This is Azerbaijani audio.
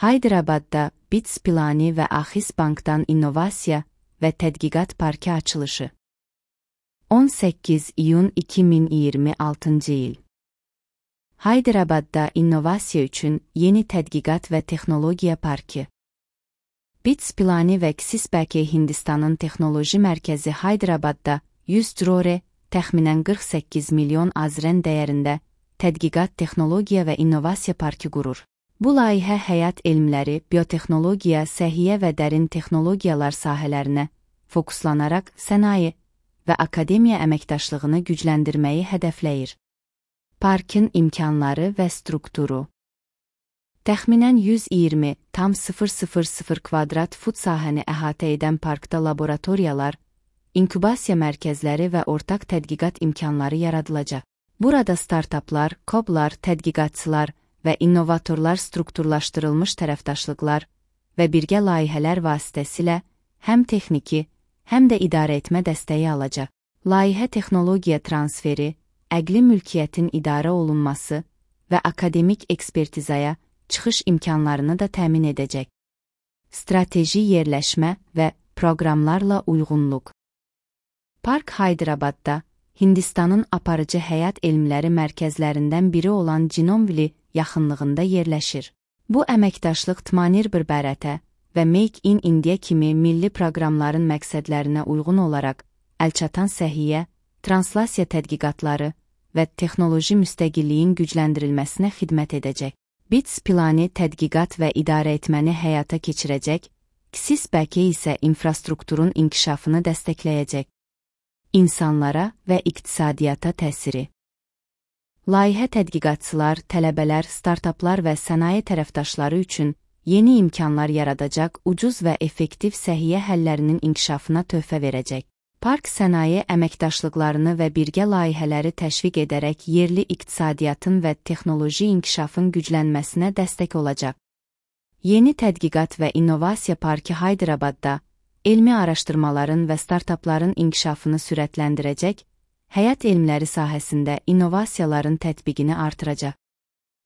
Haydarabadda BITS Pilani və Axis Bankdan İnnovasiya və Tədqiqat Parkı açılışı. 18 iyun 2026 il. Haydarabadda innovasiya üçün yeni tədqiqat və texnologiya parkı. BITS Pilani və Axis Bank Hindistanın texnoloji mərkəzi Haydarabadda 100 crore, təxminən 48 milyon azren dəyərində tədqiqat, texnologiya və innovasiya parkı qurur. Bu layihə həyat elmləri, biotexnologiya, səhiyyə və dərin texnologiyalar sahələrinə fokuslanaraq sənaye və akademiya əməkdaşlığını gücləndirməyi hədəfləyir. Parkın imkanları və strukturu. Təxminən 120,000 kvadrat fut sahəni əhatə edən parkda laboratoriyalar, inkubasiya mərkəzləri və ortaq tədqiqat imkanları yaradılacaq. Burada startaplar, koblar, tədqiqatçılar və innovatorlar strukturlaşdırılmış tərəfdaşlıqlar və birgə layihələr vasitəsilə həm texniki, həm də idarəetmə dəstəyi alacaq. Layihə texnologiya transferi, əqli mülkiyyətin idarə olunması və akademik ekspertizaya çıxış imkanlarını da təmin edəcək. Strateji yerləşmə və proqramlarla uyğunluq. Park Haydarabadda, Hindistanın aparıcı həyat elmləri mərkəzlərindən biri olan Jinomvili yaxınlığında yerləşir. Bu əməkdaşlıq Tmanir-bir Bharatə və Make in India kimi milli proqramların məqsədlərinə uyğun olaraq əlçatan səhiyyə, translasiya tədqiqatları və texnoloji müstəqilliyin gücləndirilməsinə xidmət edəcək. BITS Pilani tədqiqat və idarəetməni həyata keçirəcək, Axis Bank isə infrastrukturun inkişafını dəstəkləyəcək. İnsanlara və iqtisadiyyata təsiri. Layihə tədqiqatçılar, tələbələr, startaplar və sənaye tərəfdaşları üçün yeni imkanlar yaradacaq, ucuz və effektiv səhiyyə həllərinin inkişafına töhfə verəcək. Park sənaye əməkdaşlıqlarını və birgə layihələri təşviq edərək yerli iqtisadiyyatın və texnoloji inkişafın güclənməsinə dəstək olacaq. Yeni tədqiqat və innovasiya parkı Haydarabadda elmi araşdırmaların və startapların inkişafını sürətləndirəcək, həyat elmləri sahəsində innovasiyaların tətbiqini artıracaq.